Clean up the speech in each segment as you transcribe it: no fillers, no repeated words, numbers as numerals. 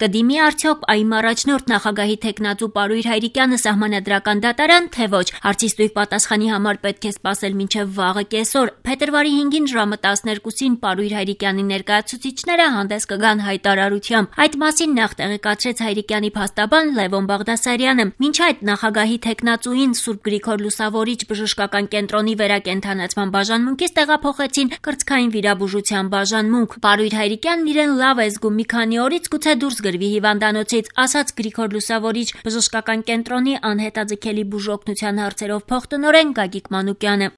Կդիմի արդյոք ԱԻՄ առաջնորդ նախագահի թեկնածու Պարույր Հայրիկյանը սահմանադրական դատարան, թե ոչ, հարցի ստույգ պատասխանի համար պետք է սպասել մինչև վաղը կեսօր։ Փետրվարի 5-ին ժամը 12-ին Պարույր Հայրիկյանի ներկայացուցիչները հանդես կգան հայտարարությամբ։ Այդ մասին նախ տեղեկացրեց Հայրիկյանի փաստաբան Լևոն Բաղդասարյանը։ Մինչ այդ նախագահի թեկնածուին Սուրբ Գրիգոր Լուսավորիչ բժշկական կենտրոնի վերակենդանացման բաժանմունքից տեղափոխեցին կրծքային վիրաբուժության բաժանմունք։ Պարույր Հայրիկյանն իրեն լավ է զգում, մի քանի օրից գուցե դուրս գրվի հիվանդանոցից, ասաց Գրիգոր Լուսավորիչ բժշկական կենտրոնի անհետաձգելի բուժօգնության հարցերով փոխտնօրեն Գագիկ Մանուկյանը։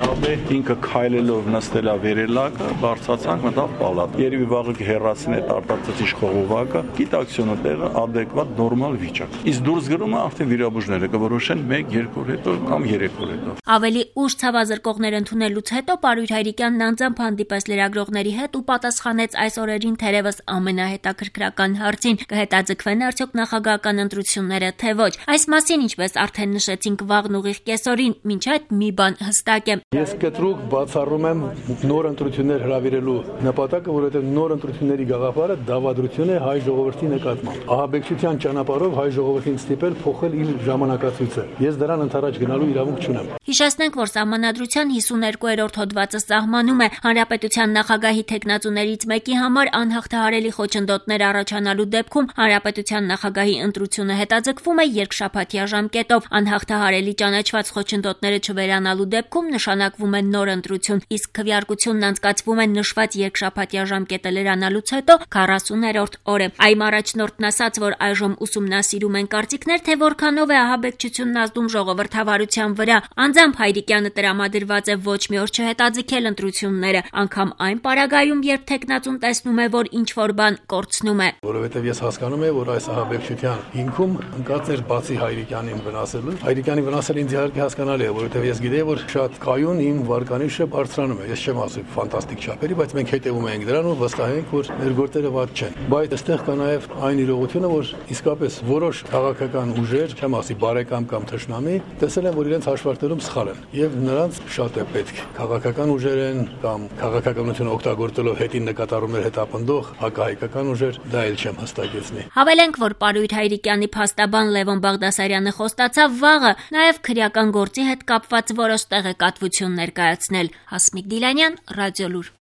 Ինքը քայլելով նստել է վերելակը, բարձրացանք մտավ պալատ։ Երևի վաղը կհեռացնի այդ արտածածի խողովակը, գիտակցությունը տեղը adekvat նորմալ վիճակ։ Իսկ դուրս գրումը արդեն վիրաբույժները կորոշեն 1-2 օր հետո կամ 3 օր հետո։ Ավելի ուշ ցավազրկողներ ընդունելուց հետո Պարույր Հայրիկյանն անձամբ հանդիպեց լրագրողների հետ ու պատասխանեց այս օրերին թերևս ամենահետաքրքրական հարցին՝ կհետաձգվեն արդյոք նախագահական ընտրությունները, թե ոչ։ Այս մասին, ինչպես արդեն նշեցինք, վաղն ուղիղ կեսօրին, մինչ այդ մի բան հստակ է։ Ես կտրուկ բացառում եմ նոր ընտրություններ հրավիրելու նպատակը, որովհետև նոր ընտրությունների գաղափարը դավադրություն է հայ ժողովրդի նկատմամբ։ Ահաբեկչության ճանապարհով հայ ժողովրդին ստիպել փոխել իր ժամանակացույցը։ Ես դրան ընդառաջ գնալու իրավունք չունեմ։ Հիշեցնենք, որ Սահմանադրության 52-րդ հոդվածը սահմանում է Հանրապետության նախագահի թեկնածուներից մեկի համար անհաղթահարելի խոչընդոտներ առաջանալու դեպքում Հանրապետության նախագահի ընտրությունը հետաձգվում է երկշաբաթյա ժամկետով։ Անհաղթահարելի ճանաչված խոչընդոտները չվերանալու դեպքում նշանակվում է նոր ընտրություն, իսկ քվեարկությունն անցկացվում է նշված երկշաբաթյա ժամկետը լրանալուց հետո 40-րդ օրը։ ԱԻՄ առաջնորդն ասաց, որ այժմ ուսումնասիրում են կարծիքներ, թե որքանով է ահաբեկչությունն ազդում ժողովրդավարության վրա։ Անձամբ Հայրիկյանը տրամադրված է ոչ մի օր չհետաձգել ընտրությունները, անգամ այն պարագայում, երբ թեկնածուն տեսնում է, որ ինչ-որ բան կորցնում է։ Որովհետև ես հասկանում եմ, որ այս ահաբեկչության հիմքում ընկած էր բացի Հայրիկյանին վնասելու։ Հայրիկյանի վնասելը ինձ իհարկե հասկանալի է, որովհետև ես գիտեի, որ շատ կայուն իմ վարկանիշը բարձրանում է։ Ես չեմ ասում ֆանտաստիկ չափերի, բայց մենք հետևում ենք դրան ու վստահ ենք, որ մեր գործերը վատ չեն։ Բայց այստեղ կա նաև այն իրողությունը, որ իսկապես որոշ քաղաքական ուժեր, չեմ ասի բարեկամ կամ թշնամի, տեսել են, որ իրենց հաշվարկներում սխալ են, եւ նրանց շատ է պետք քաղաքական ուժեր են կամ քաղաքականությունը օգտագործելով հետին նկատառումներ հետապնդող հակահայկական ուժեր, դա էլ չեմ հստակեցնի։ Հավելենք, որ Պարույր Հայրիկյանի փաստաբան Լևոն Բաղդասարյանը խոստացավ վաղը նաև քրեական գործի հետ կապված որոշ տեղեկատվություն ներկայացնել։ Հասմիկ Դիլանյան, Ռադիոլուր։